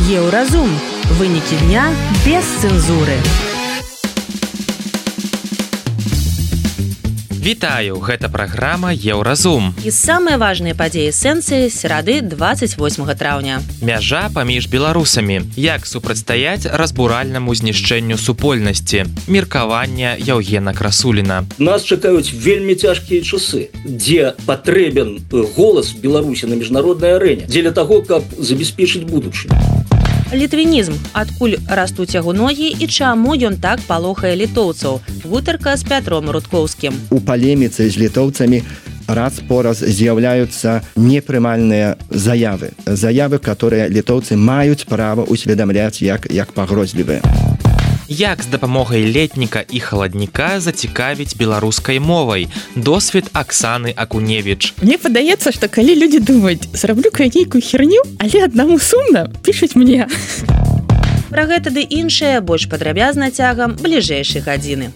Еўразум. Вынікі дня без цэнзуры. Вітаю, гэта праграма Еўразум. І самыя важныя падзеі сэнсі серады 28 траўня. Мяжа паміж беларусамі. Як супрацьстаяць разбуральнаму знішчэнню супольнасці. Меркаванне Яўгена Красуліна. Нас чакаюць вельмі цяжкія часы, дзе патрэбен голас Беларусі на міжнароднай арэне, дзеля таго, каб забяспечыць будучыню. Літвінізм. Адкуль растуць яго ногі і чаму ён так палохае літоўцаў? Гутарка з Пятром Рудкоўскім. У палеміцы з літоўцамі раз по раз з'яўляюцца непрымальныя заявы. Заявы, которые літоўцы маюць права усведамляць як пагрозлівыя. Як з дапамогай летніка і халадніка зацікавіць беларускай мовай? Досвед Аксаны Акуневіч. Мне падаецца, што калі людзі думаюць, зраблю-ка нейкую херню, але аднаму сумна, пішуць мне. Пра гэта ды іншае больш падрабязна цягам бліжэйшай гадзіны.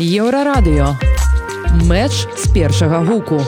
Еўрарадыё. Мэч з першага гуку.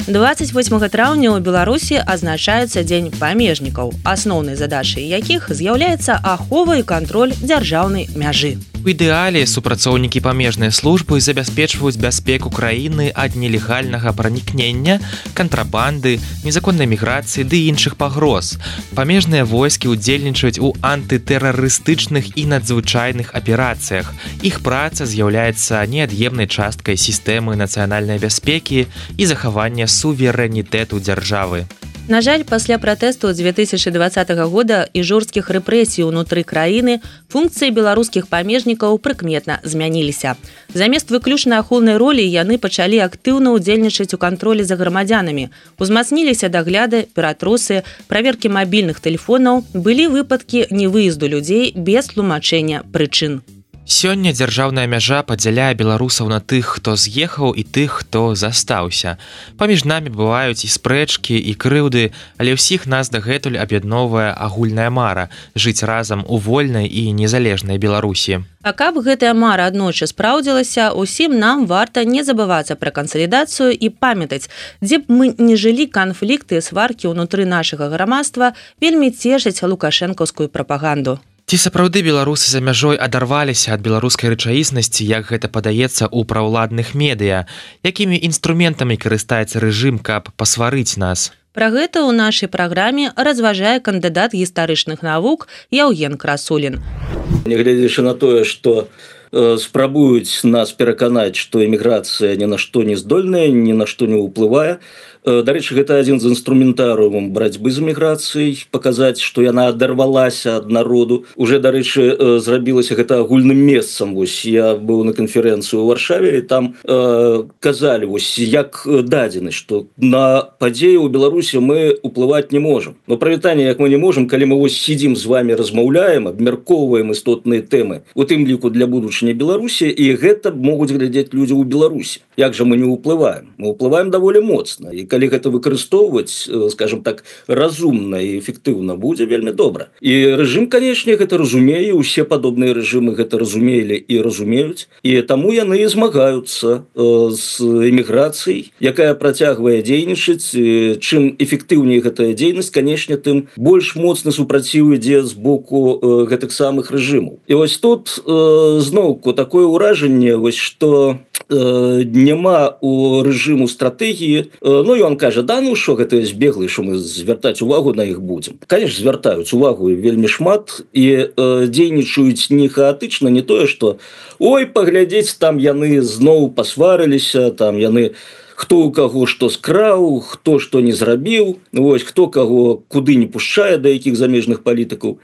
28 траўня ў Беларусі азначаецца Дзень памежнікаў, асноўнай задачай якіх з'яўляецца ахова і кантроль дзяржаўнай мяжы. У ідэале супрацоўнікі памежнай службы забяспечваюць бяспеку краіны ад нелегальнага пранікнення, кантрабанды, незаконнай міграцыі ды іншых пагроз. Памежныя войскі ўдзельнічаюць у антытэрарыстычных і надзвычайных аперацыях. Іх праца з'яўляецца неад'емнай часткай сістэмы нацыянальнай бяспекі і захавання суверэнітэту дзяржавы. На жаль, пасля пратэсту 2020 года і жорсткіх рэпрэсій унутры краіны функцыі беларускіх памежнікаў прыкметна змяніліся. Замест выключна ахоўнай ролі яны пачалі актыўна ўдзельнічаць у кантролі за грамадзянамі. Узмацніліся дагляды, ператрусы, праверкі мабільных тэлефонаў, былі выпадкі невыезду людзей без тлумачэння прычын. Сёння дзяржаўная мяжа падзяляе беларусаў на тых, хто з'ехаў і тых, хто застаўся. Паміж намі бываюць і спрэчкі, і крыўды, але ўсіх нас дагэтуль аб'ядноўвае агульная мара жыць разам у вольнай і незалежнай Беларусі. А каб гэтая мара аднойчы спраўдзілася, усім нам варта не забывацца пра кансалідацыю і памятаць, дзе б мы не жылі, канфлікты і сваркі ўнутры нашага грамадства вельмі цешаць лукашэнкаўскую прапаганду. Ці сапраўды беларусы за мяжой адарваліся ад беларускай рэчаіснасці, як гэта падаецца ў праўладных медыа? Якімі інструментамі карыстаецца рэжым, каб пасварыць нас? Пра гэта ў нашай праграме разважае кандыдат гістарычных навук Яўген Красулін. Нягледзячы на тое, што спрабуюць нас пераканаць, што эміграцыя ні на што не здольная, ні на што не ўплывае. Дарэчы, гэта адзін з інструментарыумаў барацьбы з эміграцыяй, паказаць, што яна адарвалася ад народу. Уже, дарэчы, зрабілася гэта агульным месцам. Вось я быў на канферэнцыі ў Варшаве, і там казалі, вось як дадзены, што на падзеі ў Беларусі мы ўплываць не можам. Но прывітанне, як мы не можам, калі мы вось сидзім з вами, размаўляем, абмяркоўваем істотныя тэмы, у тым ліку для будучыні Беларусі, і гэта могуць глядзець людзі ў Беларусі. Як жа мы не ўплываем? Мы ўплываем даволі моцна. І калі гэта выкарыстоўваць, скажем так, разумна і эфектыўна, будзе вельмі добра. І рэжым, канечне, гэта разумее, усе падобныя рэжымы гэта разумелі і разумеюць, і таму яны змагаюцца з эміграцыяй, якая працягвае дзейнічаць. Чым эфектыўней гэтая дзейнасць, канечне, тым больш моцны супраціў ідзе з боку гэтых самых рэжымаў. І вось тут зноўку такое ўражанне, вось што няма у рэжыму стратэгіі. Ну, ён кажа, да, ну што гэта збеглы, што мы звяртаць увагу на іх будзем. Канешне, звяртаюць увагу вельмі шмат і дзейнічаюць не хаатычна, не тое, што ой, паглядзець, там яны зноў пасварыліся, там яны хто у каго што скраў, хто што не зрабіў, вось хто каго куды не пушчае, да якіх замежных палітыкаў.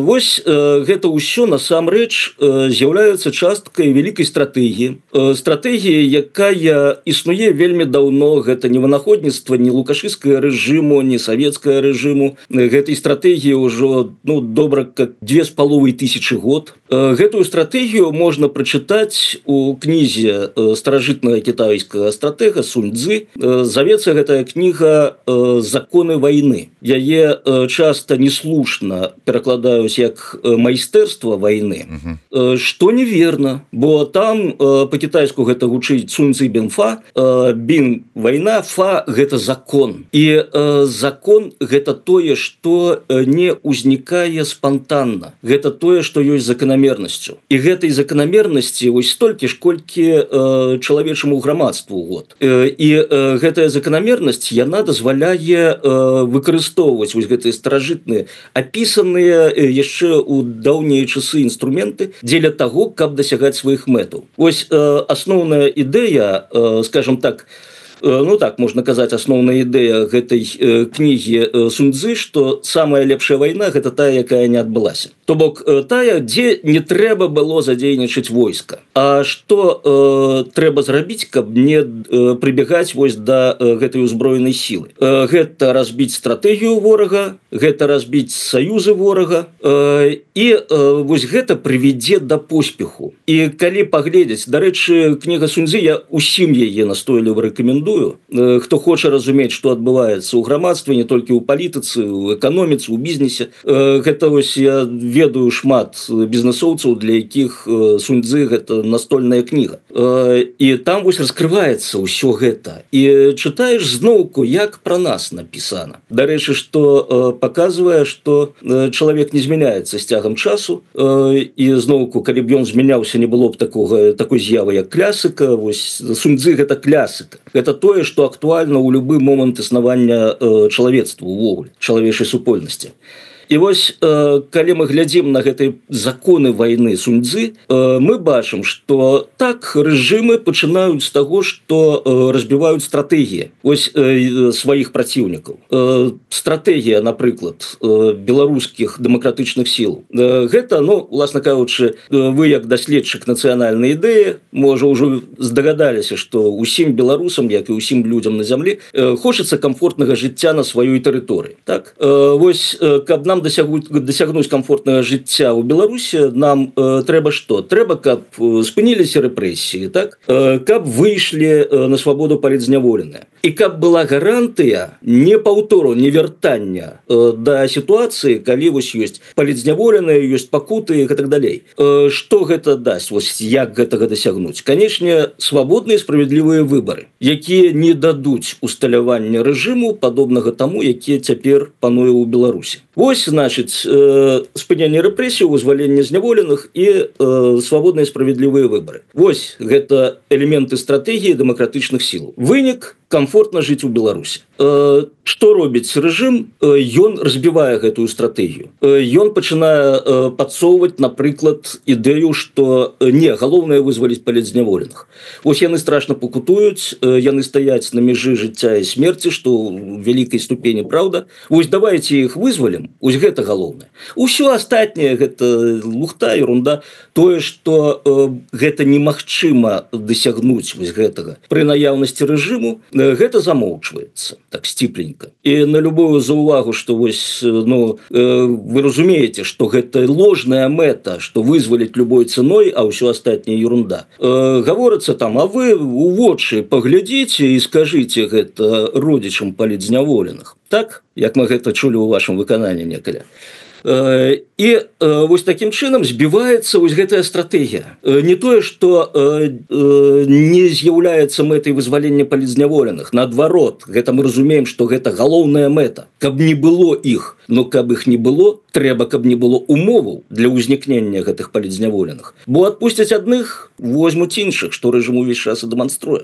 Вось гэта ўсё насамрэч з'яўляецца часткай вялікай стратэгіі. Стратэгія, якая існуе вельмі даўно, гэта не вынаходніцтва ні лукашыцкага рэжыму, ні савецкага рэжыму. Гэтай стратэгіі ўжо добра как 2500 год. Гэтую стратэгію можна прачытаць у кнізе старажытнага кітайскага стратэга Сунь Цзы. Завецца гэтая кніга «Законы войны». Яе часта неслушна перакладаюць як майстэрства войны, што неверна, бо там па-кітайску гэта гучыць Сунь Цзы бин фа, бин война, фа гэта закон. І закон гэта тое, што не ўзнікае спантанна. Гэта тое, што ёсць заканамернасцю. І гэтай заканамернасці вось столькі ж, колькі чалавечаму грамадству год. І гэтая заканамернасць, яна дазваляе выкарыстоўваць вось гэтыя старажытныя, апісаныя яшчэ ў даўнія часы інструменты дзеля таго, каб дасягаць сваіх мэтаў. Вось асноўная ідэя, скажем так, ну так можна казаць, асноўная ідэя гэтай кнігі Сунь Цзы, што самая лепшая вайна гэта тая, якая не адбылася. То бок тая, дзе не трэба было задзейнічаць войска. А што трэба зрабіць, каб не прыбегаць вось да гэтай узброенай сілы? Гэта разбіць стратэгію ворага, гэта разбіць саюзы ворага, і вось гэта прывядзе да поспеху. І калі паглядзець, дарэчы, кніга Сунь Цзы, я усім яе настойліва рэкамендую. Хто хоча разумець, што адбываецца ў грамадстве, не толькі ў палітыцы, у эканоміцы, у бізнесе. Гэта вось я ведаю шмат бізнесоўцаў, для якіх Сунь Цзы гэта настольная кніга. І там вось раскрываецца ўсё гэта. І чытаеш зноўку, як пра нас напісана. Дарэчы, што паказвае, што чалавек не змяняецца з цягам часу. І зноўку, калі б ён змяняўся, не было б такой з'явы, як клясыка. Вось Сунь Цзы гэта класыка. Гэта тое, што актуальна ў любы момант існавання чалавецтва ўвогуле, чалавечай супольнасці. І вось, калі мы глядзім на гэтыя законы войны Сунь Цзы, мы бачым, што так рэжымы пачынаюць з таго, што разбіваюць стратэгіі вось сваіх праціўнікаў. Стратэгія, напрыклад, беларускіх дэмакратычных сіл. Гэта, ну, уласна кажучы, вы як даследчык нацыянальнай ідэі, можа, ўжо здагадаліся, што ўсім беларусам, як і ўсім людзям на зямлі, хочацца камфортнага жыцця на сваёй тэрыторыі. Так? Вось, каб нам дасягнуць камфортнага жыцця ў Беларусі, нам трэба што? Трэба, каб спыніліся рэпрэсіі, так? Каб выйшлі на свабоду палітзняволеныя. І каб была гарантыя не паўтору, не вяртання да сітуацыі, калі вось ёсць палітзняволеныя, ёсць пакуты і так далей. Што гэта дасць? Вось як гэтага дасягнуць? Канечне, свабодныя справядлівыя выбары, якія не дадуць усталявання рэжыму, падобнага таму, які цяпер пануе ў Беларусі. Вось, значыць, спынянне рэпрэсій, вызваленне зняволеных і свабодныя справядлівыя выбары. Вось гэта элементы стратэгіі дэмакратычных сіл. Вынік – комфортна жыць у Беларусі. Што робіць рэжым? Ён разбівае гэтую стратэгію. Ён пачынае падсоўваць, напрыклад, ідэю, што не, галоўнае вызваліць палітзняволеных. Вось яны страшна пакутуюць, яны стаяць на мяжы жыцця і смерці, што ў вялікай ступені праўда. Вось давайце іх вызвалім, вось гэта галоўнае. Усё астатняе гэта лухта, ерунда. Тое, што гэта немагчыма дасягнуць вось гэтага пры наяўнасці рэжыму, гэта замоўчваецца так сціпленька. І на любую заўвагу, што вось, ну, вы разумееце, што гэта ложная мэта, што вызваліць любой цэной, а ўсё астатняе ерунда. Гаворыцца там, а вы у вочы паглядзіце і скажыце гэта родзічам палітзняволеных. Так, як мы гэта чулі ў вашым выкананні некаля. І вось такім чынам збіваецца вось гэтая стратэгія. Не тое, што не з'яўляецца мэтай вызвалення палітзняволеных. Наадварот, гэта мы разумеем, што гэта галоўная мэта. Каб не было іх, но каб іх не было, трэба, каб не было умоваў для ўзнікнення гэтых палітзняволеных. Бо адпусцяць адных, возьмуць іншых, што рэжым увесь час і дэманструе.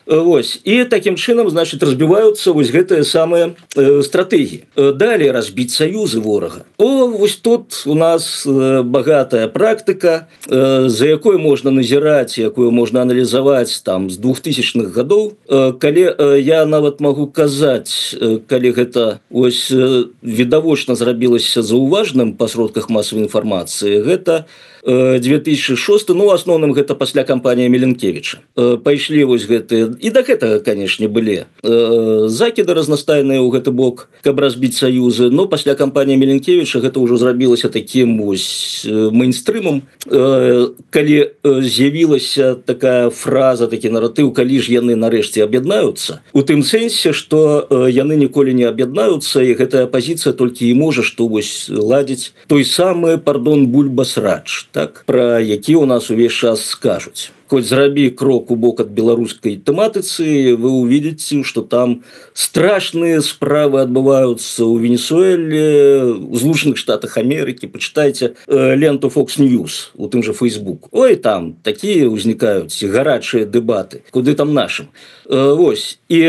Вось. І такім чынам, значыць, разбіваюцца вось гэтыя самыя стратэгіі. Далей разбіць саюзы ворага. Вось тут у нас багатая практыка, за якой можна назіраць, якую можна аналізаваць там з 2000-х гадоў. Калі я нават магу казаць, калі гэта вось відавочна зрабілася заўважным па сродках масавай інфармацыі, гэта 2006, ну, в асноўным гэта пасля кампаніі Меленкевіча. Пайшлі вось гэтыя, і да гэтага, канешне, былі закіды разнастайныя ў гэты бок, каб разбіць саюзы, но пасля кампаніі Меленкевіча гэта ўжо зрабілася такім вось мейнстрымам, калі з'явілася такая фраза, такі наратыў, калі ж яны нарэшце аб'яднаюцца, у тым сэнсе, што яны ніколі не аб'яднаюцца, і гэтая пазіцыя толькі і можа што вось ладзіць той самы, пардон, бульба-срач, так, пра які ў нас увесь час скажуць. Хоть зрабі крок у бок ад беларускай тэматыцы, вы увидите, что там страшные справы адбываюцца ў Венесуэле, у Злучаных Штатах Америки. Почитайте ленту Fox News, у тым же Facebook. Ой, там такие ўзнікаюць гарачыя дэбаты, куды там нашим. Вось. І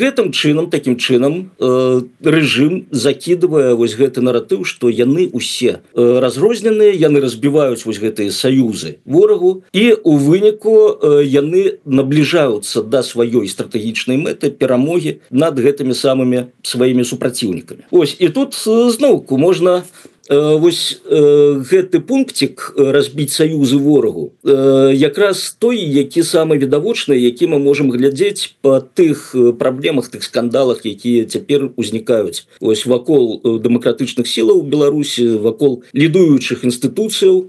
гэтым чынам, такім чынам, рэжым закідывае вось гэты наратыў, што яны усе разрозненыя, яны разбіваюць вось гэтыя саюзы ворагу, і у выніку яны набліжаюцца да сваёй стратэгічнай мэты перамогі над гэтымі самымі сваімі супраціўнікамі. Ось, і тут зноўку можна вось гэты пунктик разбіць саюзы ворагу якраз той, які самы відавочны, які мы можам глядзець па тых праблемах, тых скандалах, якія цяпер узнікаюць ось вакол дэмакратычных сілаў Беларусі, вакол лідуючых інстытуцыяў,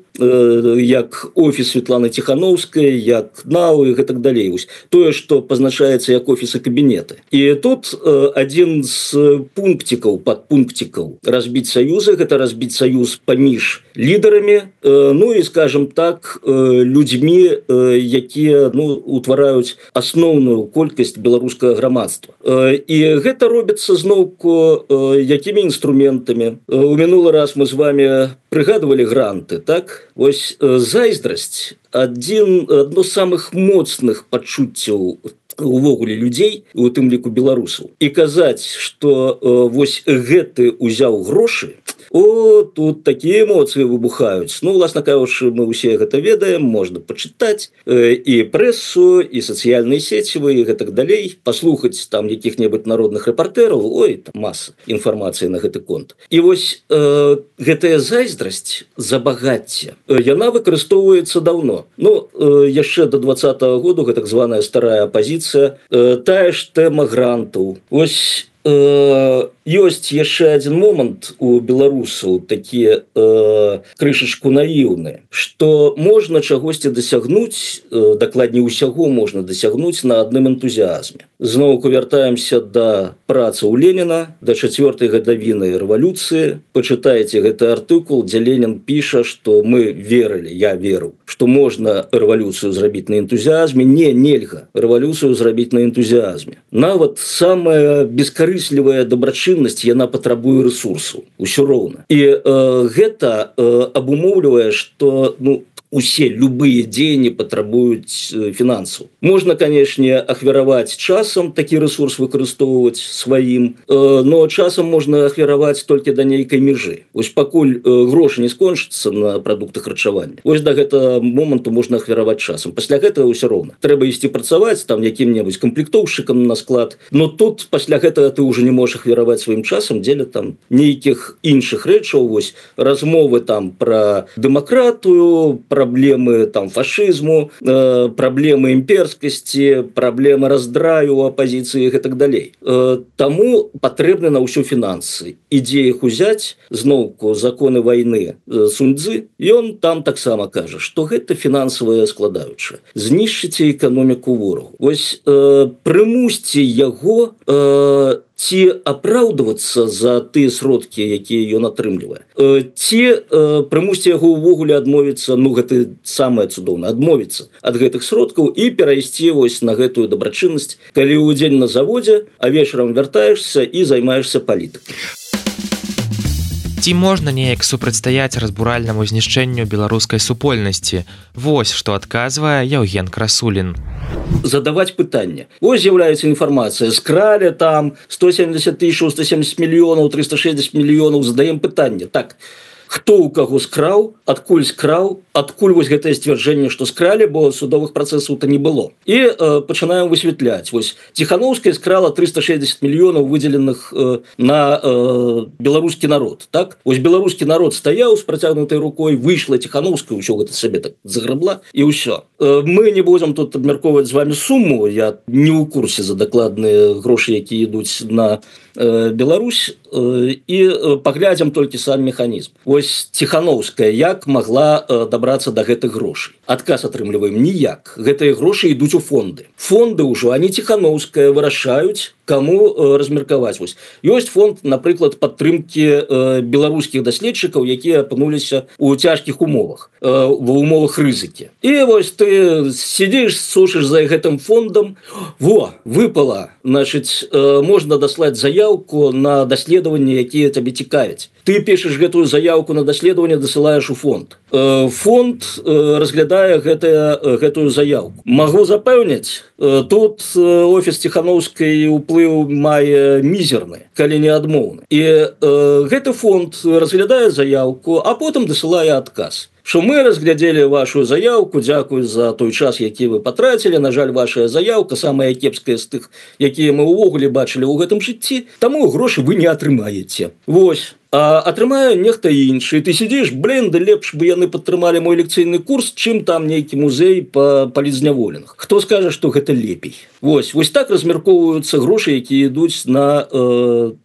як офіс Светланы Тихановскай, як НАУ і гэтак далей. Ось тое, што пазначаецца як офісы кабінеты. І тут адзін з пунктикаў, падпунктикаў разбіць саюзы, гэта разбіць саюз паміж лідарамі, ну і, скажем так, людзьмі, якія утвараюць асноўную колькасць беларускага грамадства. І гэта робіцца зноўку якімі інструментамі. У мінулы раз мы з вами прыгадывалі гранты, так? Вось зайздрасць адно з самых моцных пачуццяў увогуле людзей, у тым ліку беларусаў. І казаць, што вось гэты ўзяў грошы, тут такія эмоцыі выбухаюць. Ну, власна кажучы, мы ўсе гэта ведаем, можна пачытаць і прэсу, і сацыяльныя сецівы, і гэтак далей, паслухаць там якіх-небудзь народных рэпартэраў, ой, там маса інфармацыі на гэты конт. І вось гэтая зайздрасць, забагацце, яна выкарыстоўваецца даўно. Ну, яшчэ до 20-го году, гэта так званая старая апазіцыя, тая ж тэма грантаў. Вось ёсць яшчэ адзін момант у беларусаў, такія крышачку наіўныя, што можна чагосьці дасягнуць, дакладней усяго можна дасягнуць на адным энтузіазме. Зноўку вяртаемся да працы ў Леніна, да 4-й гадавіны рэвалюцыі. Пачытайце гэты артыкул, дзе Ленін піша, што мы верылі, я веру, што можна рэвалюцыю зрабіць на энтузіазме. Нельга рэвалюцыю зрабіць на энтузіазме. Нават самая бескарыслівая дабрачыннасць, яна патрабуе рэсурсу, усё роўна. І гэта абумоўлівае, што усе любыя дзеянні патрабуюць фінансаў. Можна, канешне, ахвяраваць часам, такі рэсурс выкарыстоўваць сваім, но часам можна ахвяраваць толькі да нейкай межы. Вось пакуль грошы не скончацца на прадуктах харчавання, вось да гэтага моманту можна ахвяраваць часам. Пасля гэтага ўсё роўна. Трэба ісці працаваць там якім-небудзь камплектоўшчыкам на склад, но тут пасля гэтага ты ўжо не можаш ахвяраваць сваім часам дзеля там нейкіх іншых рэчаў, вось размовы там пра дэмакратыю, праблемы там фашызму, праблемы імперскасці, праблемы раздраю у апазіцыі і так далей. Таму патрэбны на ўсё фінансы. І дзе іх узяць, зноўку законы вайны Сунь-Цзы, ён там таксама кажа, што гэта фінансавая складаючая. Знішчыце эканоміку ворагу. Вось прымусьце яго ці апраўдвацца за тыя сродкі, якія ён атрымлівае. Ці прымусьце яго ўвогуле адмовіцца, гэта самае цудоўнае, адмовіцца ад гэтых сродкаў і перайсці вось на гэтую дабрачыннасць, калі ўдзень на заводзе, а вечарам вяртаешся і займаешся палітыкай. Ці можна неяк супрацьстаяць разбуральнаму знішчэнню беларускай супольнасці? Вось што адказвае Яўген Красулін. Задаваць пытанне. Вось з'яўляецца інфармацыя. Скралі там 170 тысяч, 170 мільёнаў, 360 мільёнаў. Задаем пытанне. Так, хто ў каго скраў, адкуль скраў, адкуль вось гэтае сцвярджэнне, што скралі, бо судовых працэсаў-то не было. І пачынаем высвятляць. Вось Ціхановская скрала 360 мільёнаў выдзеленых на беларускі народ. Так? Вось беларускі народ стаяў з працягнутай рукой, выйшла Ціхановская, ўсё гэта сабе так заграбла, і ўсё. Мы не будзем тут абмяркоўваць з вами суму, я не ў курсе за дакладныя грошы, якія ідуць на Беларусь, і паглядзім толькі сам механізм. Вось Ціхановская як могла дабрацца да гэтых грошай? Адказ атрымліваем ніяк. Гэтыя грошы ідуць у фонды. Фонды ўжо, они Ціхановская вырашаюць, каму размеркаваць. Вось ёсць фонд, напрыклад, падтрымкі беларускіх даследчыкаў, якія апынуліся ў цяжкіх умовах, ва умовах рызыкі. І вось ты сидзіш, сушыш за гэтым фондам, выпала, значыць, можна даслаць заявку на даследаванні, якія табе цікавяць. Ты пішаш гэтую заявку на даследаванне, дасылаеш у фонд. Фонд разглядае гэтую заявку. Магу запэўніць, тут офіс Ціхановскай уплыў мае мізерны, калі не адмоўны. І гэты фонд разглядае заявку, а потым дасылае адказ. Што мы разглядзелі вашу заявку, дзякуй за той час, які вы патрацілі, на жаль, ваша заявка самая кепская з тых, якія мы ўвогуле бачылі ў гэтым жыцці, таму грошы вы не атрымаеце. Вось. А атрымае нехта іншы. Ты сидзіш, да лепш бы яны падтрымалі мой лекцыйны курс, чым там нейкі музей па палізняволеных. Хто скажа, што гэта лепей? Вось так размяркоўваюцца грошы, якія ідуць на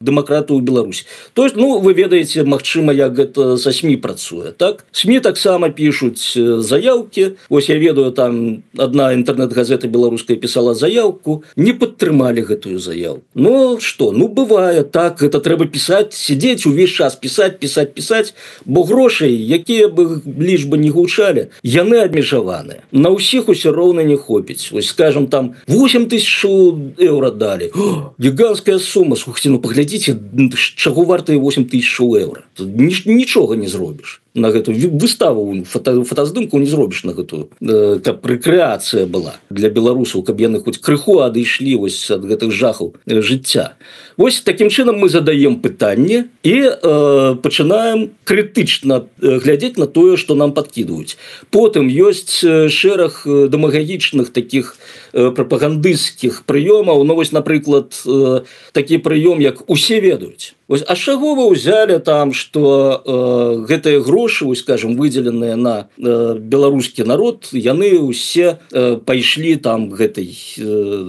дэмакратыю ў Беларусі. То есть, вы ведаеце, магчыма, як гэта са СМІ працуе, так? СМІ таксама пішуць заявкі. Вось я ведаю, там адна інтэрнэт-газета беларуская пісала заявку, не падтрымалі гэтую заявку. Што? Бывае так, гэта трэба пісаць, сидзець увесь час пісаць, бо грошай, якія бы лічбы не гучалі, яны абмежаваныя. На ўсіх усё роўна не хопіць. Вось, скажем, там 8 тысяч еўра далі. Гіганская сума. Слухайте, паглядзіце, чаго вартыя 8 тысяч еўра. Нічога не зробіш. На гэтую выставу, фотаздымку не зробіш на гэтую, каб рэкрэацыя была для беларусаў, каб яны хоць крыху адышлі вось ад гэтых жахаў жыцця. Вось такім чынам мы задаем пытанне і пачынаем крытычна глядзець на тое, што нам падкідваюць. Потым ёсць шэраг дэмагагічных такіх прапагандысцкіх прыёмаў. Вось, напрыклад, такі прыём, як усе ведаюць. Вось, а з чаго вы ўзялі там, што гэтыя грошы, вось, скажем, выдзеленыя на беларускі народ, яны ўсе пайшлі там гэтай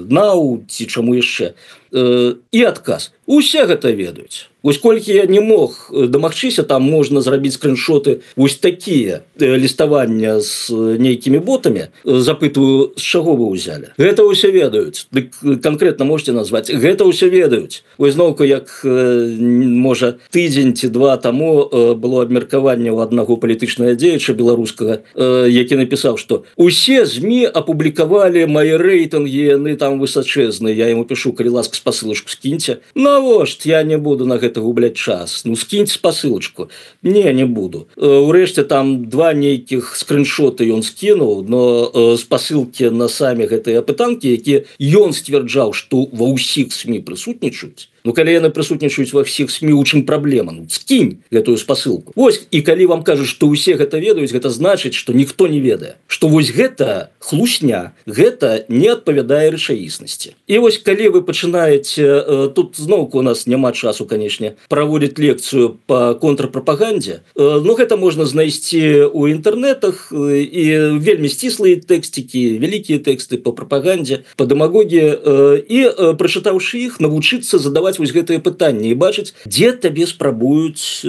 НАУ ці чаму яшчэ? І адказ. Усе гэта ведаюць. Вось колькі я не мог дамагчыся, там можна зрабіць скриншоты, вось такія ліставання з нейкімі ботамі. Запытваю, з чаго вы ўзялі? Гэта ўсе ведаюць. Дык канкрэтна можете назваць. Гэта ўсе ведаюць. Вось зноўку, як можа тыдзень ці два таму было абмеркаванне ў аднаго палітычнага дзеяча беларускага, які напісаў, што усе ЗМІ апублікавалі мае рэйтынгі, яны там высачэзныя. Я яму пішу, калі ласка, спасылачку скіньце. Навошт, я не буду на гэта губляць час. Скіньце спасылачку. Не буду. Урэшце там два нейкіх скриншоты ён скінуў, но спасылкі на самі гэтыя апытанкі, якія ён сцвярджаў, што ва ўсіх СМІ прысутнічаюць. Калі яны прысутнічаюць ва ўсіх СМІ, у чым праблема? Скінь гэтую спасылку. Вось, і калі вам кажуць, што ўсе гэта ведаюць, гэта значыць, што ніхто не ведае. Што вось гэта хлусня, гэта не адпавядае рэчаіснасці. І вось, калі вы пачынаеце, тут зноўку у нас няма часу, канешне, праводзіць лекцыю па контрпрапагандзе, гэта можна знайсці ў інтэрнэтах, і вельмі сціслыя тэксцікі, вялікія тэксты па прапагандзе, па дэмагогіі, і, прачытаўшы іх, навучыцца задаваць вось гэтыя пытанні і бачыць, дзе табе спрабуюць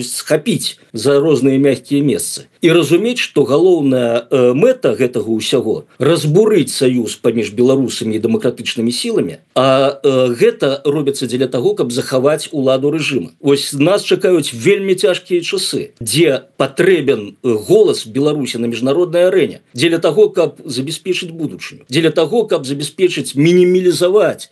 схапіць за розныя мягкія месцы. І разумець, што галоўная мэта гэтага ўсяго – разбурыць саюз паміж беларусамі і дэмакратычнымі сіламі, а гэта робіцца дзеля таго, каб захаваць уладу рэжыма. Вось нас чакаюць вельмі цяжкія часы, дзе патрэбен голас Беларусі на міжнароднай арэне, дзеля таго, каб забяспечыць будучыню, дзеля таго, каб забяспечыць мінімізаваць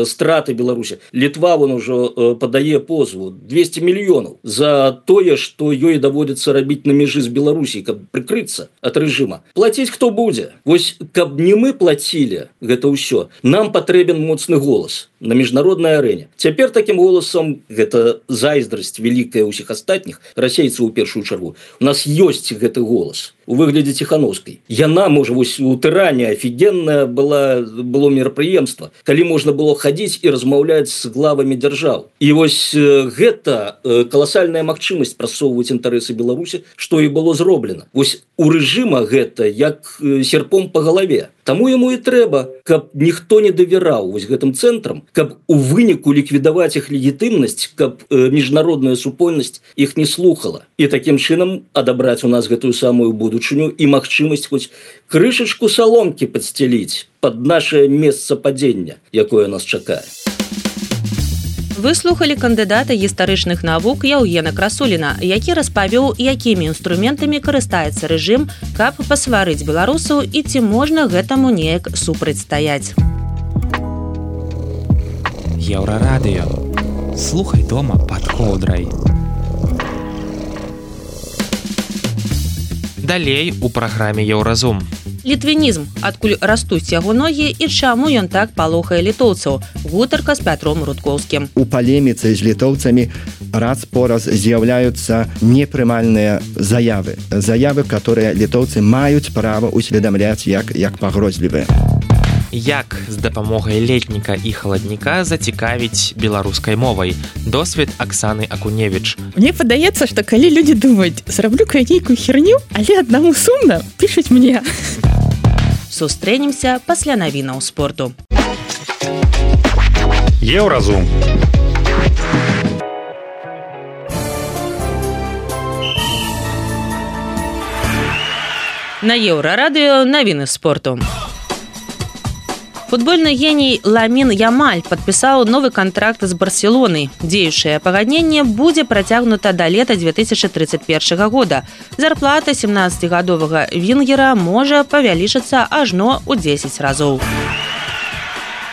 страты Беларусі. Літва вон ужо падае позву 200 мільёнаў за тое, што ёй даводзіцца рабіць на межы з Беларусі, каб прыкрыцца ад рэжыма. Плаціць хто будзе? Вось, каб не мы плацілі гэта ўсё, нам патрэбен моцны голас. на міжнароднай арэне. Цяпер такім голасам, гэта зайздрасць вялікая ўсіх астатніх расейцаў у першую чаргу, у нас ёсць гэты голас у выглядзе Ціхановскай. Яна, можа, вось у Тыране офігенная было мерапрыемства, калі можна было хадзіць і размаўляць з главамі дзяржаў. І вось гэта каласальная магчымасць прасоўваць інтарэсы Беларусі, што і было зроблена. Вось у рэжыма гэта як серпом па галаве. Таму яму і трэба, каб ніхто не давяраў вось гэтым цэнтрам, каб у выніку ліквідаваць іх легітымнасць, каб міжнародная супольнасць іх не слухала. І такім чынам адабраць у нас гэтую самую будучыню і магчымасць хоць крышачку саломкі падсцяліць пад нашае месца падзення, якое нас чакае. Вы слухали кандыдата гістарычных навук Яўгена Красуліна, які распавёў, якімі інструментамі карыстаецца рэжым, каб пасварыць беларусаў і ці можна гэтаму неяк супрацьстаяць. Еўрарадыё. Слухай дома пад коўдрай. Далей у праграме Еўразум. Літвінізм, адкуль растуць яго ногі і чаму ён так палохае літоўцаў. Гутарка з Пятром Рудкоўскім. У палеміцы з літоўцамі раз-пораз з'яўляюцца непрымальныя заявы. Заявы, которые літоўцы маюць права усведамляць як пагрозлівыя. Як з дапамогай летніка і халадніка зацікавіць беларускай мовай? Досвед Аксаны Акуневіч. Мне падаецца, што калі людзі думаюць, зраблю-ка я нейкую херню, але аднаму сумна, пішуць мне. Сустрэнемся пасля навінаў спорту. Еўразум. На Еўрарадыё навіны спорту. Футбольны геній Ламін Ямаль падпісаў новы кантракт з Барселонай. Дзеючае пагадненне будзе працягнута да лета 2031 года. Зарплата 17-гадовага вінгера можа павялічыцца ажно ў 10 разоў.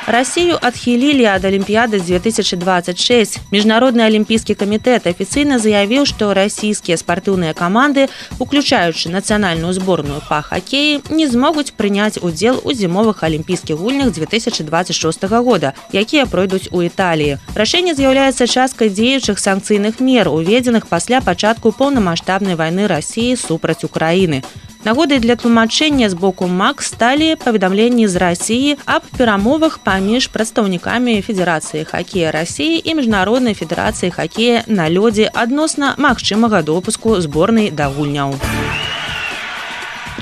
Россию адхілілі ад Олимпиады 2026. Міжнародны алімпійскі камітэт афіцыйна заявіў, што расійскія спартыўныя каманды, уключаючы нацыянальную зборную па хакеі, не змогуць прыняць удзел у зімовых алімпійскіх гульнях 2026 года, якія пройдуць у Італіі. Рашэнне з'яўляецца часткай дзеючых санкцыйных мер, уведзеных пасля пачатку поўнамаштабнай вайны Расіі супраць Украіны. Нагодай для тлумачэння з боку МАК сталі паведамленні з Расіі аб перамовах паміж прадстаўнікамі Федэрацыі хакея Расіі і Міжнароднай федэрацыі хакея на лёдзе адносна магчымага допуску зборнай да гульняў.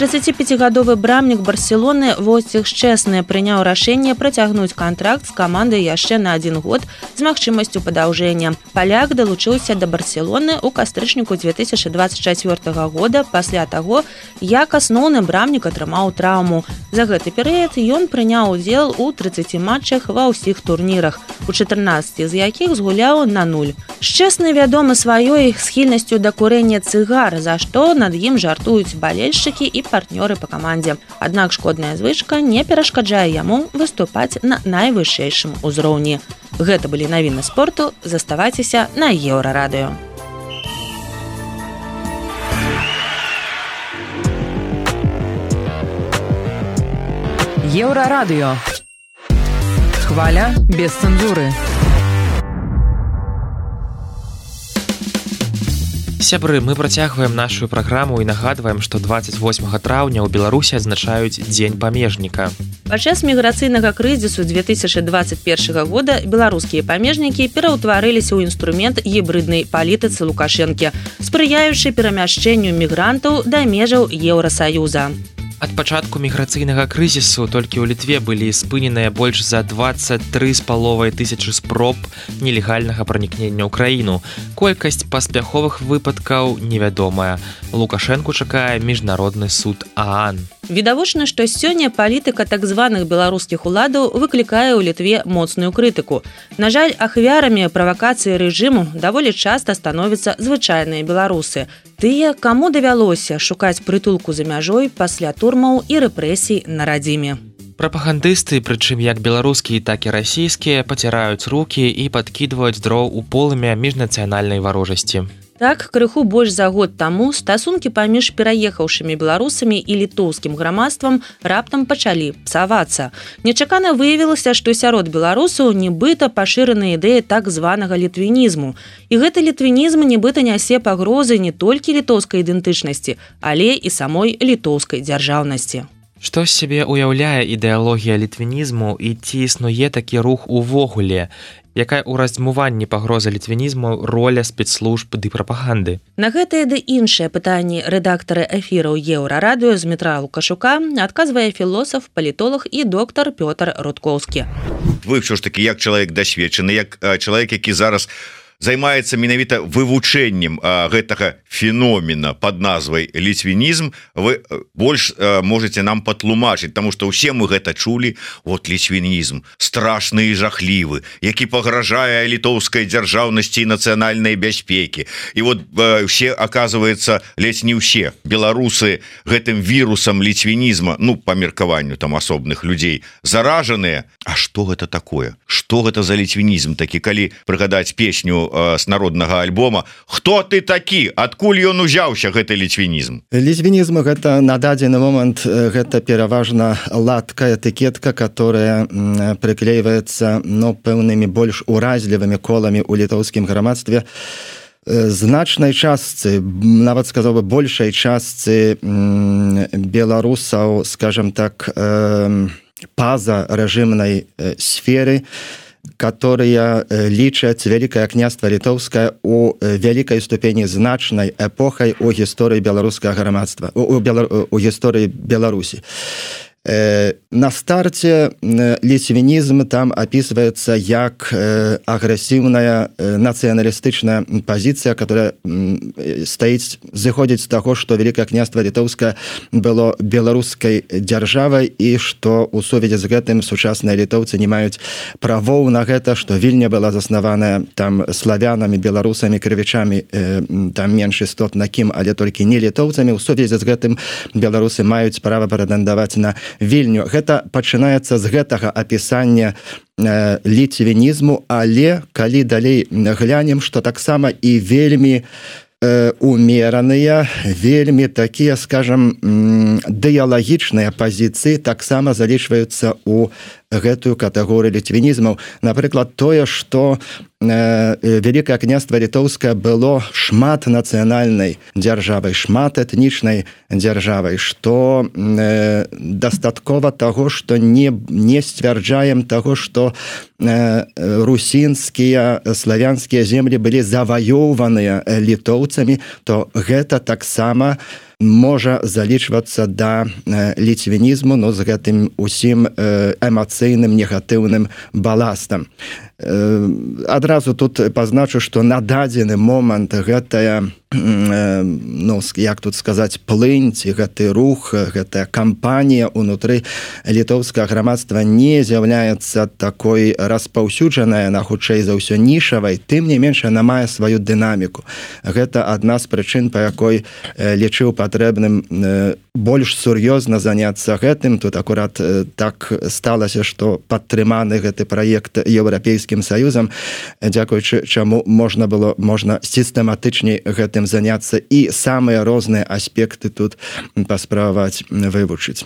35-гадовы брамнік Барселоны Войцех Шчэсны прыняў рашэнне працягнуць кантракт з камандай яшчэ на 1 год з магчымасцю падаўжэння. Паляк далучыўся да Барселоны ў кастрычніку 2024 года пасля таго, як асноўны брамнік атрымаў траўму. За гэты перыяд ён прыняў удзел у 30 матчах ва ўсіх турнірах, у 14 з якіх згуляў на 0. Шчэсны вядомы сваёй схільнасцю да курэння цыгар, за што над ім жартуюць балельшчыкі і партнёры па камандзе. Аднак шкодная звычка не перашкаджае яму выступаць на найвышэйшым узроўні. Гэта былі навіны спорту. Заставайцеся на Еўрарадыё. Еўрарадыё. Хваля без цэнзуры. Сябры, мы працягваем нашу праграму і нагадваем, што 28 траўня ў Беларусі адзначаюць Дзень памежніка. Падчас міграцыйнага крызісу 2021 года беларускія памежнікі пераўтварыліся ў інструмент гібрыднай палітыцы Лукашэнкі, спрыяючы перамяшчэнню мігрантаў да межаў Еўрасаюза. Ад пачатку міграцыйнага крызісу толькі ў Літве былі спыненыя больш за 23,5 тысячы спроб нелегальнага пранікнення ў краіну. Колькасць паспяховых выпадкаў невядомая. Лукашэнку чакае міжнародны суд ААН. Відавочна, што сёння палітыка так званых беларускіх уладаў выклікае ў Літве моцную крытыку. На жаль, ахвярамі правакацыі рэжыму даволі часта становяцца звычайныя беларусы. Тыя, каму давялося шукаць прытулку за мяжой пасля турмаў і рэпрэсій на радзіме. Прапагандысты, прычым як беларускія, так і расійскія, паціраюць рукі і падкідваюць дроў у полымя міжнацыянальнай варожасці. Так, крыху больш за год таму стасункі паміж пераехаўшымі беларусамі і літоўскім грамадствам раптам пачалі псавацца. Нечакана выявілася, што сярод беларусаў нібыта пашырана ідэя так званага літвінізму. І гэты літвінізм нібыта нясе пагрозы не толькі літоўскай ідэнтычнасці, але і самой літоўскай дзяржаўнасці. Што з сябе ўяўляе ідэалогія літвінізму і ці існуе такі рух увогуле? Якая ў раздзьмуванні пагроза літвінізму роля спецслужб ды прапаганды? На гэтае ды іншыя пытанні рэдактары эфіраў Еўрарадыё Змітра Лукашука адказвае філосаф, палітолог і доктар Пётр Рудкоўскі. Вы ўсё ж такі як чалавек дасведчаны, як чалавек, які зараз займаецца менавіта вывучэннем гэтага феномена под назвай літвінізм, вы больш можете нам патлумачыць, таму што ўсе мы гэта чулі. Вот літвінізм страшны і жахлівы, які пагражае літоўскай дзяржаўнасці і нацыянальнай бяспекі. І вот все, оказывается, ледзь не ўсе беларусы гэтым вірусам літвінізма, ну, па меркаванню там асобных людзей, заражаныя. А што гэта такое? Што гэта за літвінізм такі, калі прыгадаць песню с народнага альбома «Хто ты такі? Адкуль ён узяўся, гэты літвінізм?» Літвінізм гэта на дадзены момант гэта пераважна латка, этыкетка, которая прыклейваецца пэўнымі больш уразлівымі коламі ў літоўскім грамадстве. Значнай частцы, нават сказаў бы большай частцы беларусаў, скажем так, па-за рэжымнай сферы, которые лічаць Вялікае княства Літоўскае у вялікай ступені значнай эпохай у гісторыі беларускага грамадства, у гісторыі Беларусі. На старце літвінізм там описывается як агрэсіўная нацыяналістычная пазіцыя, которая зыходзіць з таго, што Вялікае княства Літоўскае было беларускай дзяржавай і што ў сувязі з гэтым сучасныя літоўцы не маюць правоў на гэта, што Вільня была заснаваная там славянамі, беларусамі, крывічамі, там менш істотна кім, але толькі не літоўцамі. У сувязі з гэтым беларусы маюць права прэтэндаваць на Вільню. Гэта пачынаецца з гэтага апісання літвінізму, але калі далей глянем, што таксама і вельмі умераныя, вельмі такія, скажам, дыялагічныя пазіцыі таксама залічваюцца ў гэтую катэгорыю літвінізмаў. Напрыклад, тое, што Вялікае княства Літоўскае было шмат нацыянальнай дзяржавай, шмат этнічнай дзяржавай, што дастаткова таго, што не сцвярджаем таго, што русінскія, славянскія землі былі заваёўваныя літоўцамі, то гэта таксама можа залічвацца да літвінізму, з гэтым усім эмацыйным негатыўным баластам. Адразу тут пазначу, што на дадзены момант гэтая, як тут сказаць, плынь, ці гэты рух, гэтая кампанія ўнутры літоўскага грамадства не з'яўляецца такой распаўсюджаная, на хутчэй за ўсё нішавай, тым не менш яна мае сваю дынаміку. Гэта адна з прычын, па якой лічыў патрэбным больш сур'ёзна заняцца гэтым. Тут акурат так сталася, што падтрыманы гэты праект Еўрапейскім Саюзам, дзякуючы чаму можна сістэматычней гэтым заняцца і самыя розныя аспекты тут паспрабаваць вывучыць.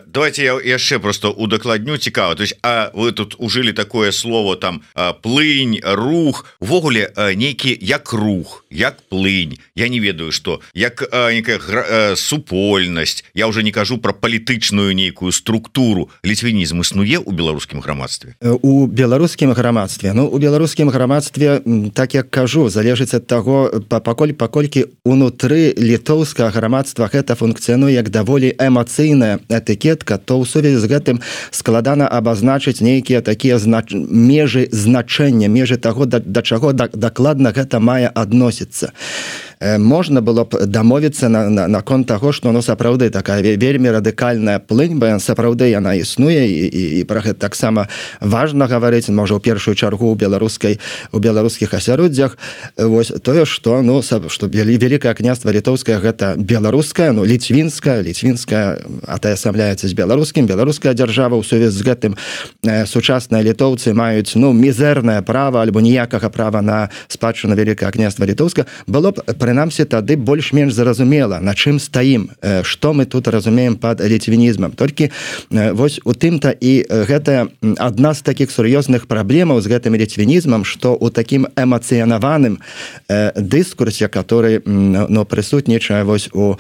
Давайте я яшчэ просто удакладню, цікава. То есть, вы тут ужылі такое слово там плынь, рух, увогуле нейкі як рух, як плынь. Я не ведаю, што як некая супольнасць. Я уже не кажу про палітычную нейкую структуру. Літвінізм існуе ў беларускім грамадстве? У беларускім грамадстве, у беларускім грамадстве, так як кажу, залежыць ад таго, паколькі унутры літоўскага грамадства гэта функцыянуе як даволі эмацыйная этыкетка, то ў сувязі з гэтым складана абазначыць нейкія такія межы значэння, межы таго, да чаго дакладна гэта мае адносіцца. можна было б дамовіцца наконт таго, што сапраўды такая вельмі радыкальная плынь, бо сапраўды яна існуе і пра гэта таксама важна гаварыць, можа, ў першую чаргу у беларускіх асяроддзях. Вось тое, што Вялікае княства літоўскае гэта беларуская, ліцвінская, атаясамляецца з беларуская дзяржава. У сувязі з гэтым сучасныя літоўцы маюць мізэрнае права альбо ніякага права на спадчыну Вялікае княства літоўска. Было б, прынамсі, тады больш-менш зразумела, на чым стаім, што мы тут разумеем пад ліцвінізмам. Толькі вось у тым-то і гэта адна з такіх сур'ёзных праблемаў з гэтым ліцвінізмам, што ў такім эмацыянаваным дыскурсе, который прысутнічае вось у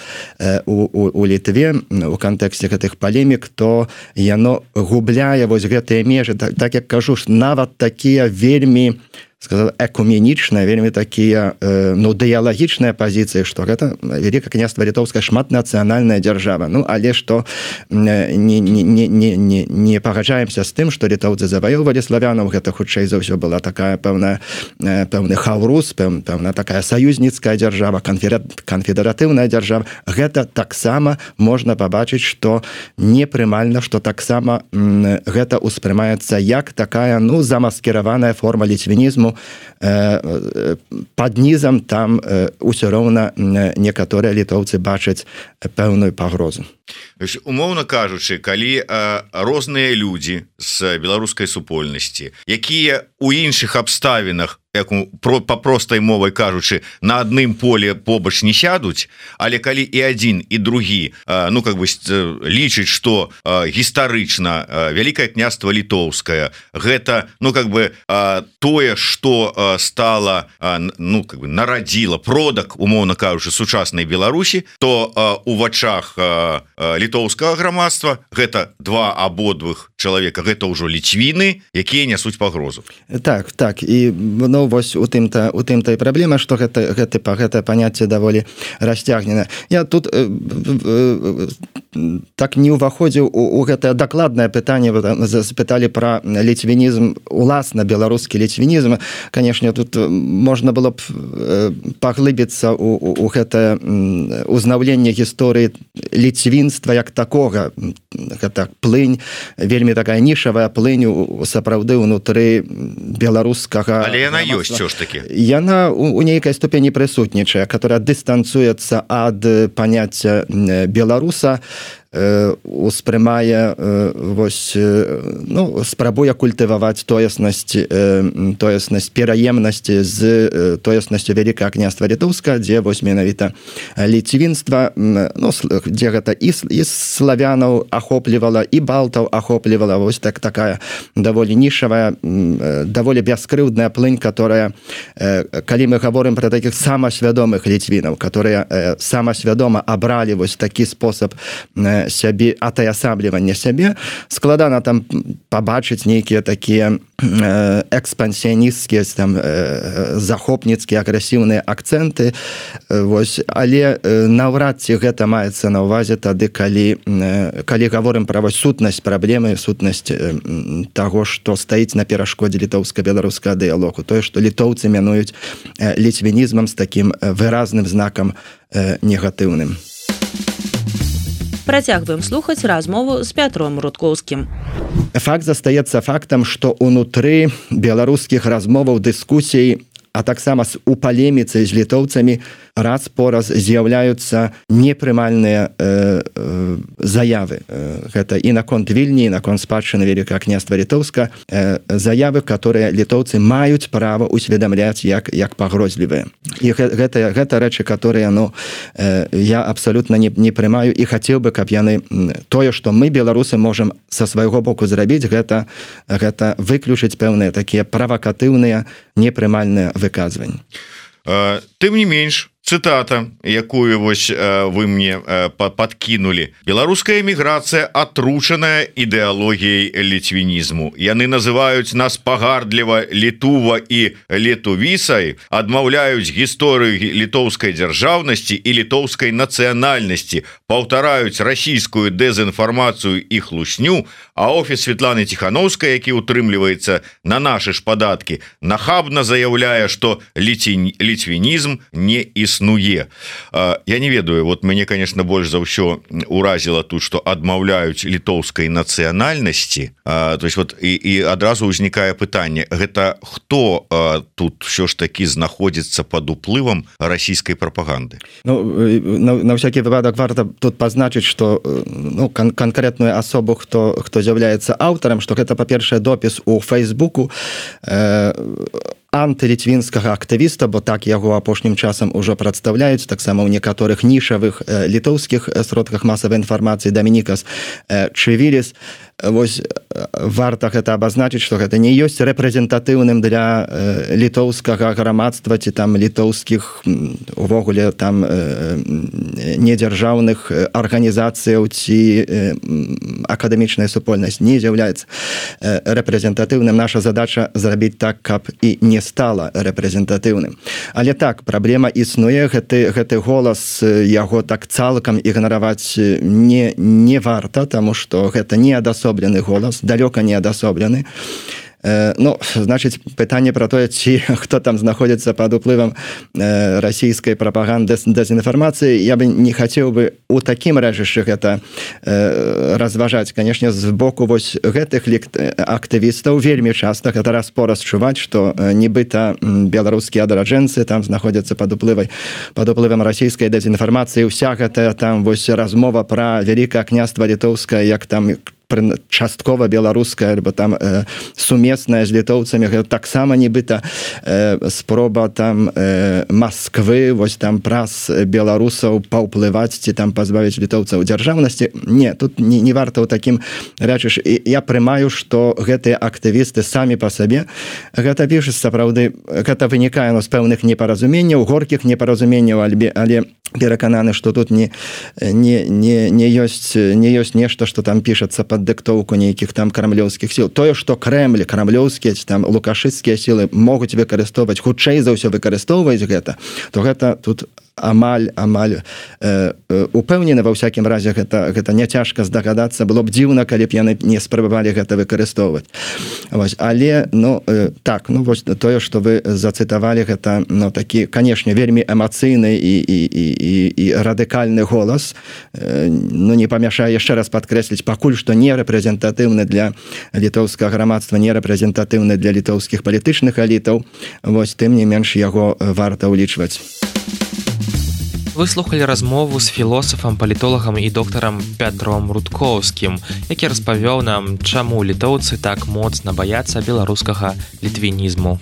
Літве у кантэксце гэтых палемік, то яно губляе вось гэтыя межы. Так як кажу, нават такія вельмі экуменічныя, вельмі такія дыялагічныя пазіцыі, што гэта Вялікае княства літоўскае шматнацыянальная дзяржава. Але што не пагаджаемся з тым, што літоўцы заваёўвалі славянаў, гэта хутчэй за ўсё была такая пэўны хаўрус, пэўна такая саюзніцкая дзяржава, канфедэратыўная дзяржава. Гэта таксама можна пабачыць, што непрымальна, што таксама гэта ўспрымаецца як такая замаскіраваная форма ліцвінізму. Пад нізам там усё роўна некаторыя літоўцы бачаць пэўную пагрозу. Умоўна кажучы, калі розныя людзі з беларускай супольнасці, якія ў іншых абставінах, па простай мовай кажучы, на адным поле побач не сядуць, але калі і адзін, і другі лічыць, што гістарычна Вялікае княства літоўскае гэта тое, што стала нарадзіла продак, умоўна кажучы, сучаснай Беларусі, то у вачах літоўскага грамадства гэта два абодвых чалавека, гэта ўжо ліцвіны, якія нясуць пагрозу. Так, і вось у тым-то і праблема, што гэта паняцце даволі расцягнена. Я тут так не ўваходзіў у гэтае дакладнае пытанне, спыталі пра ліцвінізм, уласна беларускі ліцвінізм. Канешне, тут можна было б паглыбіцца у гэтае узнаўленне гісторыі ліцвінства як такога. Гэта плынь, вельмі такая нішавая плынь сапраўды ўнутры беларускага. Але яна ёсць ўсё ж такі. Яна у нейкай ступені прысутнічае, которая дыстанцуецца ад паняцця беларуса, успрымае спрабуе культываваць тоеснасць пераемнасці з тоеснасцю Вялікае княства літоўска, дзе менавіта ліцвінства, дзе гэта і славянаў ахоплівала, і балтаў ахоплівала. Вось такая даволі нішавая, даволі бяскрыўдная плынь, которая, калі мы гаворым пра такіх самасвядомых ліцвінаў, которые самасвядома абралі вось такі спосаб сябе, атаясаблівання сябе, складана там пабачыць нейкія такія экспансіянісцкія, захопніцкія, агрэсіўныя акцэнты. Але наўрад ці гэта маецца на ўвазе тады, калі гаворым пра сутнасць праблемы, сутнасць таго, што стаіць на перашкодзе літоўска-беларускага дыялогу. Тое, што літоўцы мянуюць ліцвінізмам з такім выразным знакам негатыўным. Працягваем слухаць размову з Пятром Рудкоўскім. Факт застаецца фактам, што ўнутры беларускіх размоваў, дыскусій, а таксама у палеміцы з літоўцамі раз по раз з'яўляюцца непрымальныя заявы. Гэта і наконт Вільні, і наконт спадчыны Вялікага княства літоўска, заявы, которые літоўцы маюць права усведамляць як пагрозлівыя. І гэта рэчы, которые я абсолютно не прымаю, і хацеў бы, каб яны тое, што мы, беларусы, можам са свайго боку зрабіць, гэта выключыць пэўныя такія правакатыўныя, непрымальныя выказванні. Тым не менш, цытата, якую вы мне подкинули. Беларуская эміграцыя атручаная ідэалогіяй ліцвінізму. Яны называюць нас пагардліва літува і летувісай, адмаўляюць гісторыю літоўскай дзяржаўнасці і літоўскай нацыянальнасці, паўтараюць расійскую дэзінфармацыю і хлусню, а офіс Светланы Ціхановскай, які утрымліваецца на нашы ж падаткі, нахабна заяўляе, што ліцвінізм не існуе. існуе. Я не ведаю, вот мяне, конечно, больш за ўсё уразіла тут, што адмаўляюць літоўскай нацыянальнасці. То есть вот і адразу ўзнікае пытанне, гэта хто тут ўсё ж такі знаходзіцца пад уплывам расійскай прапаганды? Ну, на всякий выпадок варта тут пазначыць, што канкрэтную асобу, хто з'яўляецца аўтарам, што гэта, па-першае, допіс у Фейсбуку антылітвінскага актывіста, бо так яго апошнім часам ужо прадстаўляюць, таксама ў некаторых нішавых літоўскіх сродках масавай інфармацыі Дамінікас Чывіліс. Вось варта гэта абазначыць, што гэта не ёсць рэпрэзентатыўным для літоўскага грамадства ці там літоўскіх увогуле там недзяржаўных арганізацыяў ці акадэмічная супольнасць не з'яўляецца рэпрэзентатыўным. Наша задача зрабіць так, каб і не стала рэпрэзентатыўным. Але так, праблема існуе, гэты голас, яго так цалкам ігнараваць не варта, таму што гэта не адасоблены голас, далёка не адасоблены. Ну, значыць, пытанне пра тое, ці хто там знаходзіцца пад уплывам расійскай прапаганды, дэзінфармацыі, я бы не хацеў бы у такім рэжышчы гэта разважаць. Канешне, з боку вось гэтых актывістаў вельмі часта гэта раз-пораз чуваць, што нібыта беларускія адраджэнцы там знаходзяцца пад уплывам расійскай дэзінфармацыі. Уся гэтая там вось размова пра Вялікае княства літоўскае, як там часткова беларуская, альбо там сумесная з літоўцамі, гэта таксама нібыта спроба там Масквы, вось там праз беларусаў паўплываць ці там пазбавіць літоўцаў дзяржаўнасці. Не, тут не варта ў такім рэчыш. Я прымаю, што гэтыя актывісты самі па сабе гэта пішуць, сапраўды, гэта вынікае з пэўных непаразуменняў, горкіх непаразуменняў, але перакананы, што тут не ёсць нешта, што там пішацца пад дыктоўку нейкіх там крамлёўскіх сіл. Тое, што крамлёўскія, там лукашысцкія сілы могуць выкарыстоўваць, хутчэй за ўсё выкарыстоўваюць гэта, то гэта тут амаль упэўнены, ва ўсякім разе гэта няцяжка здагадацца. Было б дзіўна, калі б яны не спрабавалі гэта выкарыстоўваць. Але так, вось тое, што вы зацытавалі, гэта такі, канешне, вельмі эмацыйны і радыкальны голас. Не памяшае яшчэ раз падкрэсліць, пакуль што не рэпрэзентатыўны для літоўскага грамадства, не рэпрэзентатыўны для літоўскіх палітычных элітаў. Вось тым не менш яго варта ўлічваць. Вы слухалі размову з філосафам, палітолагам і доктарам Пятром Рудкоўскім, які распавёў нам, чаму літоўцы так моцна баяцца беларускага літвінізму.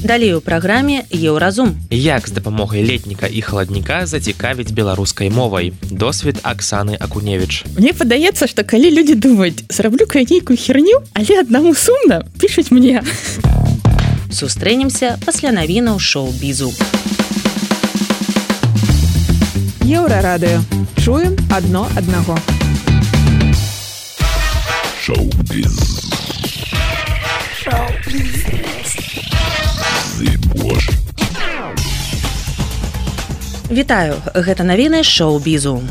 Далей у праграме «Еўразум». Як з дапамогай летніка і халадніка зацікавіць беларускай мовай? Досвед Аксаны Акуневіч. Мне падаецца, што калі людзі думаюць, зраблю-ка я нейкую херню, але аднаму сумна, пішуць мне. Сустрэнемся пасля навінаў шоу-бізу. Еўрарадыё. Чуем адно аднаго. Шоу-біз. Вітаю, гэта навіны шоу-бізу.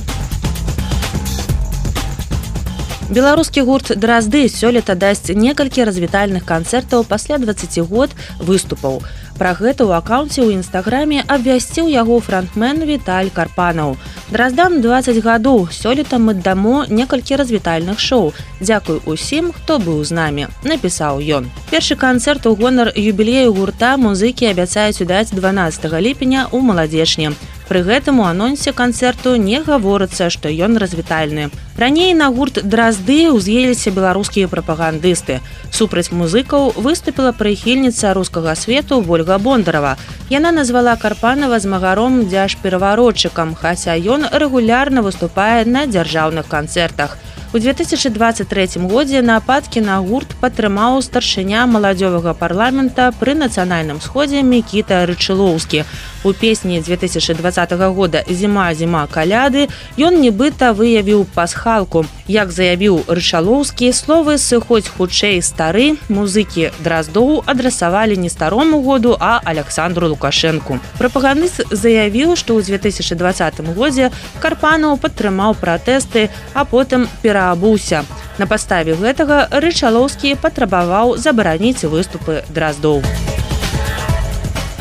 Беларускі гурт «Дразды» сёлета дасць некалькі развітальных канцэртаў пасля 20 год выступаў. Пра гэта ў акаунце ў інстаграме абвясціў яго франтмен Віталь Карпанаў. «Драздам 20 гадоў, сёлета мы дамо некалькі развітальных шоу. Дзякуй усім, хто быў з намі», напісаў ён. Першы канцэрт у гонар юбілею гурта музыкі абяцаюць удаць 12 ліпеня ў Маладзечні. Пры гэтым у анонсе канцэрту не гаворыцца, што ён развітальны. Раней на гурт «Дразды» ўз'еліся беларускія прапагандысты. Супраць музыкаў выступіла прыхільніца рускага свету Вольга Бондарова. Яна назвала Карпанава змагаром дзяржпераваротчыкам, хаця ён рэгулярна выступае на дзяржаўных канцэртах. У 2023 годзе нападкі на гурт падтрымаў старшыня маладзёвага парламента пры нацыянальным сходзе Мікіта Рычылоўскі. У песні 2020 года «Зіма, зіма, каляды» ён нібыта выявіў пасхалку. Як заявіў Рычылоўскі, словы «сыходзь хутчэй стары» музыкі Драздоў адрасавалі не старому году, а Александру Лукашэнку. Прапагандыст заявіў, што ў 2020 годзе Карпанаў падтрымаў пратэсты, а потым пераабуўся. На падставе гэтага Рычылоўскі патрабаваў забараніць выступы Драздоў.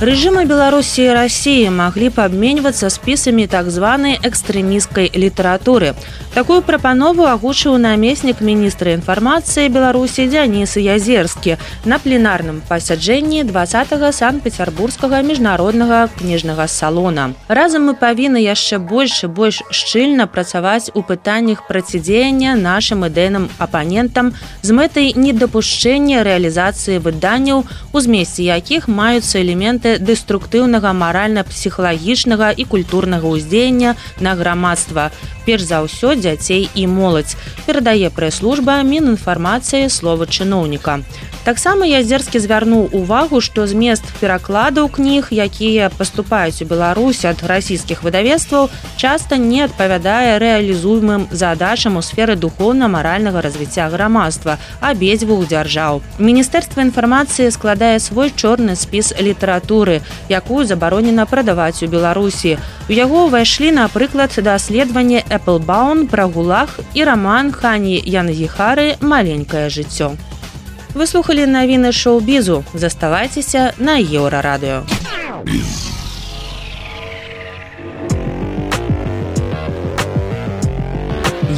Рэжымы Беларусі і Расіі маглі б абменьвацца спісамі так званай экстрэмісцкай літаратуры. Такую прапанову агучыў намеснік міністра інфармацыі Беларусі Дзяніс Язерскі на пленарным пасяджэнні 20-го Санкт-Петербургскага міжнароднага кніжнага салона. Разам мы павінны яшчэ больш і больш шчыльна працаваць у пытаннях процідзеяння нашым ідэйным апанентам з мэтай недапушчэння рэалізацыі выданняў, у змесце якіх маюцца элементы дэструктыўнага маральна-псіхалагічнага і культурнага ўздзеяння на грамадства, перш за ўсё дзяцей і моладзь, перадае прэс-служба Мінінфармацыі слова чыноўніка. Таксама Язерскі звярнуў увагу, што змест перакладаў кніг, якія паступаюць у Беларусь ад расійскіх выдавецтваў, часта не адпавядае рэалізуемым задачам у сферы духоўна-маральнага развіцця грамадства абедзвюх дзяржаў. Міністэрства інфармацыі складае свой чорны спіс літаратуры, якую забаронена прадаваць у Беларусі. У яго ўвайшлі, напрыклад, даследаванне Эпплбаун пра гулаг і раман Хані Янгіхары «Маленькае жыццё». Вы слухали навіны шоу-бізу. Заставайцеся на Еўрарадыё.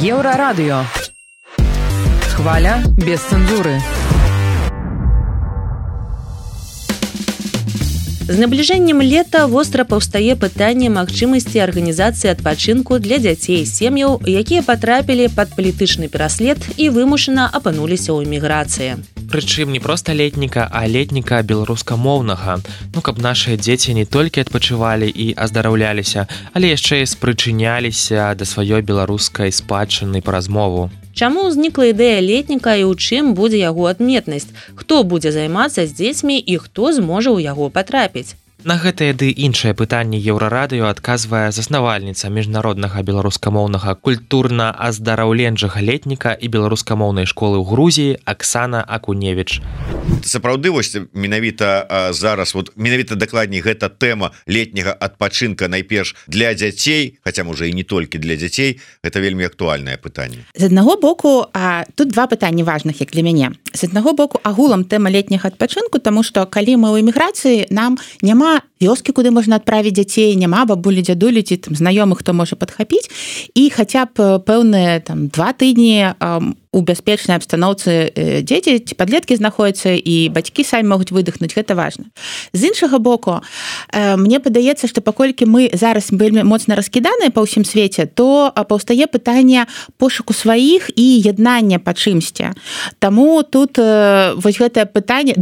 Еўрарадыё. Хваля без цэнзуры. З набліжэннем лета востра паўстае пытанне магчымасці арганізацыі адпачынку для дзяцей і сем'яў, якія патрапілі пад палітычны пераслед і вымушана апынуліся ў эміграцыі. Прычым не проста летніка, а летніка беларускамоўнага. Каб нашыя дзеці не толькі адпачывалі і аздараўляліся, але яшчэ і спрычыняліся да сваёй беларускай спадчыны па размову. Чаму ўзнікла ідэя летніка і ў чым будзе яго адметнасць? Хто будзе займацца з дзецьмі і хто зможа ў яго патрапіць? На гэтае ды іншае пытанне Еўрарадыё адказвае заснавальніца міжнароднага беларускамоўнага культурна-аздараўленчага летніка і беларускамоўнай школы ў Грузіі Аксана Акуневіч. Сапраўды, вось менавіта зараз, менавіта дакладней гэта тэма летняга адпачынка найперш для дзяцей, хаця можа і не толькі для дзяцей, гэта вельмі актуальнае пытанне. З аднаго боку, тут два пытанні важных, як для мяне. З аднаго боку, агулам тэма летняга адпачынку, таму што калі мы ў эміграцыі, нам няма вёскі, куды можна адправіць дзяцей, няма бабулі, дзядулі ці знаёмых, хто можа падхапіць, і хаця б пэўныя 2 тыдні у бяспечнай абстаноўцы дзеці ці падлеткі знаходзяцца і бацькі самі могуць выдохнуць, гэта важна. З іншага боку, мне падаецца, што паколькі мы зараз вельмі моцна раскіданыя па ўсім свеце, то паўстае пытанне пошуку сваіх і яднання па чымсьці. Таму тут вось гэтае пытанне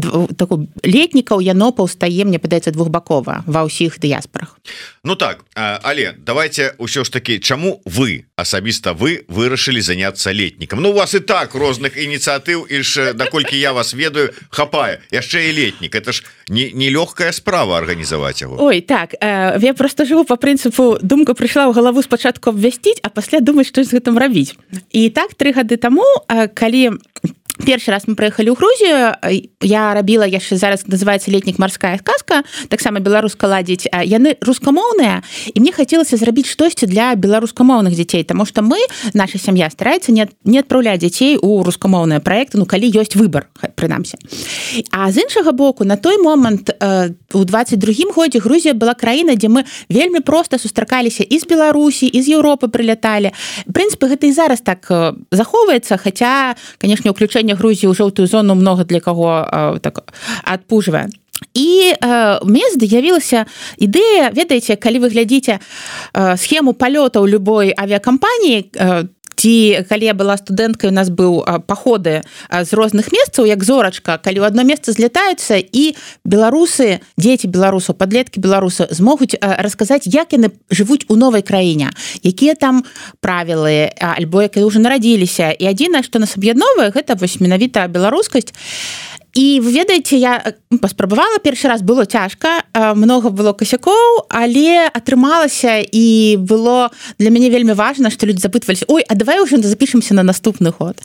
летнікаў, яно паўстае, мне падаецца, двухбакова ва ўсіх дыяспорах. Ну так, але давайте ўсё ж такі, чаму вы, асабіста вы, вырашылі заняцца летнікам? У вас і так розных ініцыятыў, і ж, наколькі я вас ведаю, хапае. Яшчэ і летнік. Это ж не лёгкая справа арганізаваць яго. Ой, так, я просто жыву по прынцыпу, думка прыйшла ў галаву спачатку абвясціць, а пасля думаць, што з гэтым рабіць. І так 3 гады таму, калі першы раз мы прыехалі ў Грузію, я рабіла яшчэ зараз называецца летнік марская сказка, таксама беларуска ладзіць, яны рускамоўныя, і мне хацелася зрабіць штосьці для беларускамоўных дзяцей, таму што мы, наша сям'я стараецца не адпраўляць дзяцей у рускамоўныя праекты, калі ёсць выбар, прынамсі. А з іншага боку, на той момант у 22-м годзе Грузія была краіна, дзе мы вельмі проста сустракаліся і з Беларусі, і з Еўропы прыляталі. В прынцыпе, гэта і зараз так захоўваецца, хаця, канешне, ўключэнне Грузіі ў жоўтую зону многа для каго так адпужвае. І мне з'явілася ідэя, ведаеце, калі вы глядзіце схему палётаў любой авіякампаніі, ці калі я была студэнткай, у нас быў паходы з розных месцаў, як зорачка, калі ў одно месца злятаюцца, і беларусы, дзеці беларусаў, падлеткі беларусаў змогуць расказаць, як яны жывуць у новай краіне, якія там правілы, альбо якія ўжо нарадзіліся. І адзінае, што нас аб'ядноўвае, гэта вось менавіта беларускасць. І вы ведаеце, я паспрабавала першы раз, было цяжка, многа было касякоў, але атрымалася, і было для мяне вельмі важна, што людзі запытваліся: ой, а давай уже запішемся на наступны год.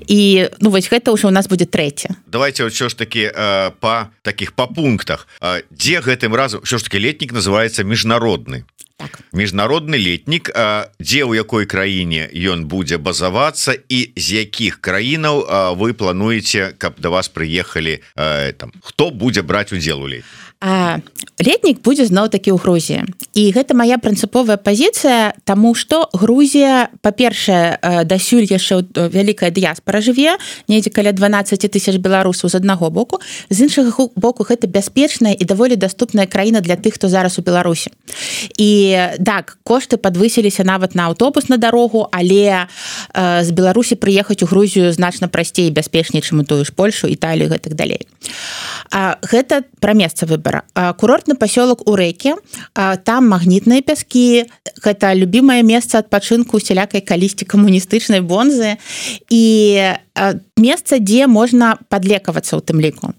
І вось гэта ўжо у нас будзе 3. Давайте ўсё ж такі па пунктах. Дзе гэтым разам ўсё ж такі летнік называецца міжнародны? Так. Міжнародны летнік, дзе ў якой краіне ён будзе базавацца і з якіх краінаў вы плануеце, каб да вас прыехалі, хто будзе браць удзел у летнік? Летнік будзе зноў-такі ў Грузіі. І гэта моя прынцыповая пазіцыя, таму што Грузія, па-першае, дасюль яшчэ вялікая дыяспара жыве, недзе каля 12 000 беларусаў з аднаго боку. З іншага боку, гэта бяспечная і даволі даступная краіна для тых, хто зараз у Беларусі. І так, кошты падвысіліся нават на аўтобус на дарогу, але з Беларусі прыехаць у Грузію значна прасцей і бяспечней, чым у тую ж Польшу, Італію і гэтак далей. Гэта пра месца выбара. Курортны пасёлак у Рэйкі, там магнітныя пяскі, гэта любімае месца адпачынку усялякай калісьці камуністычнай бонзы і месца, дзе можна падлекавацца ў тым ліку.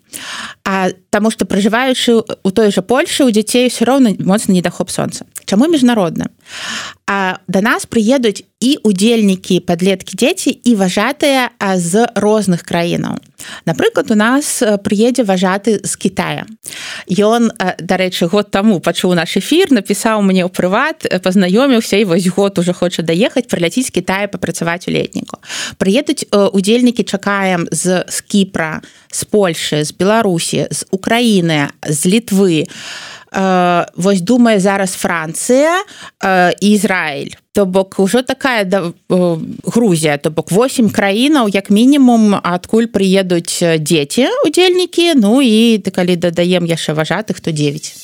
Таму што пражываючы ў той жа Польшы, у дзяцей ўсё роўна моцны недахоп сонца. Чаму міжнародна? Да нас прыедуць і удзельнікі, падлеткі, дзеці і важатыя з розных краінаў. Напрыклад, у нас прыедзе важаты з Китая. Ён, дарэчы, год таму пачуў наш эфір, напісаў мне ў прыват, пазнаёміўся і вось год уже хоча даехаць, прыляціць з Китая папрацаваць у летніку. Прыедуць удзельнікі, чакаем з Кіпра, з Польшы, з Беларусі, з Украіны, з Літвы. Вось думае зараз Францыя і Ізраіль. То бок ужо такая Грузія, то бок 8 краінаў, як мінімум, адкуль прыедуць дзеці, удзельнікі, ну і калі дадаем яшчэ важатых, то 9.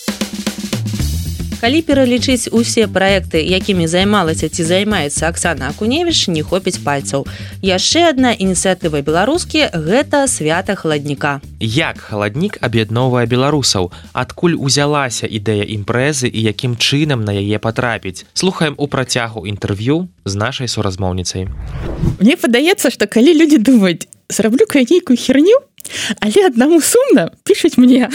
Калі пералічыць усе праекты, якімі займалася ці займаецца Аксана Акуневіч, не хопіць пальцаў. Яшчэ адна ініцыятыва беларускі – гэта свята халадніка. Як халаднік аб'ядноўвае беларусаў? Адкуль узялася ідэя імпрэзы і якім чынам на яе патрапіць? Слухаем у працягу інтэрв'ю з нашай суразмоўніцай. Мне падаецца, што калі людзі думаюць, зраблю-ка я нейкую херню, але аднаму сумна, пішуць мне.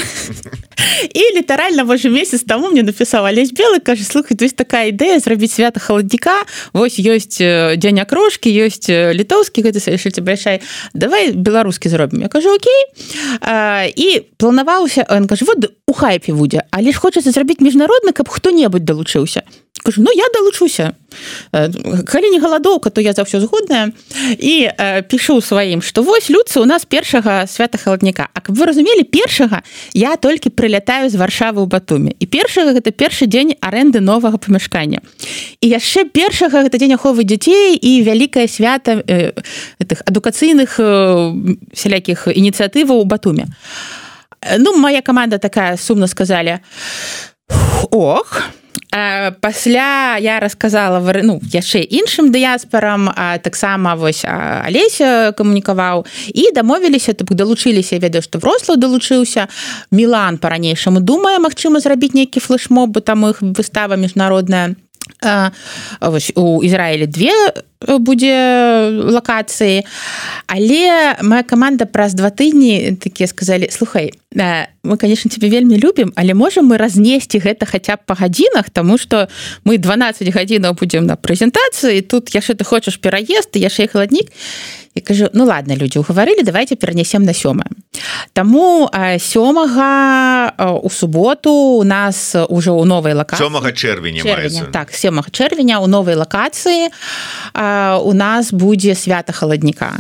І літаральна, можа, месяц таму мне напісаў Алесь Белы, кажа, слухай, ёсць такая ідэя зрабіць свята халадніка, вось ёсць дзень акрошкі, ёсць літоўскі, гэта саюшыце брэшай, давай беларускі зробім. Я кажу, окей. І планаваўся, ён кажа, вот у хайпе будзе, але ж хочацца зрабіць міжнародны, каб хто-небудзь далучыўся. Кажу, ну я далучуся. Калі не галадоўка, то я за ўсё згодная. І пішу сваім, што вось, людцы, у нас першага свята халадніка. А каб вы разумелі, першага я толькі прылятаю з Варшавы ў Батуме. І першага гэта першы дзень арэнды новага памяшкання. І яшчэ першага гэта дзень аховы дзяцей і вялікае свята адукацыйных всялякіх ініцыятываў у Батуме. Ну, моя каманда такая сумна сказалі, ох, пасля я расказала яшчэ іншым дыяспарам, таксама вось Алеся камунікаваў, і дамовіліся, далучыліся, я ведаю, што Вроцлаў далучыўся, Мілан па-ранейшаму думае, магчыма, зрабіць нейкі флешмоб, бо там іх выстава міжнародная. Вось у Ізраілі 2 будзе лакацыі, але моя каманда праз 2 тыдні такія сказалі, слухай, мы, конечно, тебе вельмі любім, але можам мы разнесці гэта хаця б па гадзінах, таму што мы 12 гадзінаў будзем на прэзентацыі, тут яшчэ ты хочаш пераезд, і яшчэ і халаднік. Я кажу, ну ладно, людзі угаварылі, давайте перанесем на 7. Таму 7 у суботу у нас уже ў новай лакацыі. 7 чэрвеня маецца. Так, 7 чэрвеня ў новай лакацыі у нас будзе свята халадніка.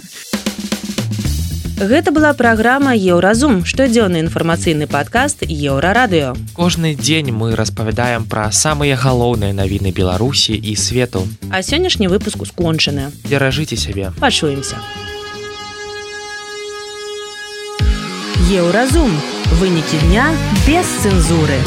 Гэта была праграма «Еўразум», штодзённы інфармацыйны падкаст «Еўрарадыё». Кожны дзень мы распавядаем пра самыя галоўныя навіны Беларусі і свету. А сённяшні выпуск скончаны. Беражыце сябе. Пачуемся. «Еўразум». Вынікі дня без цэнзуры.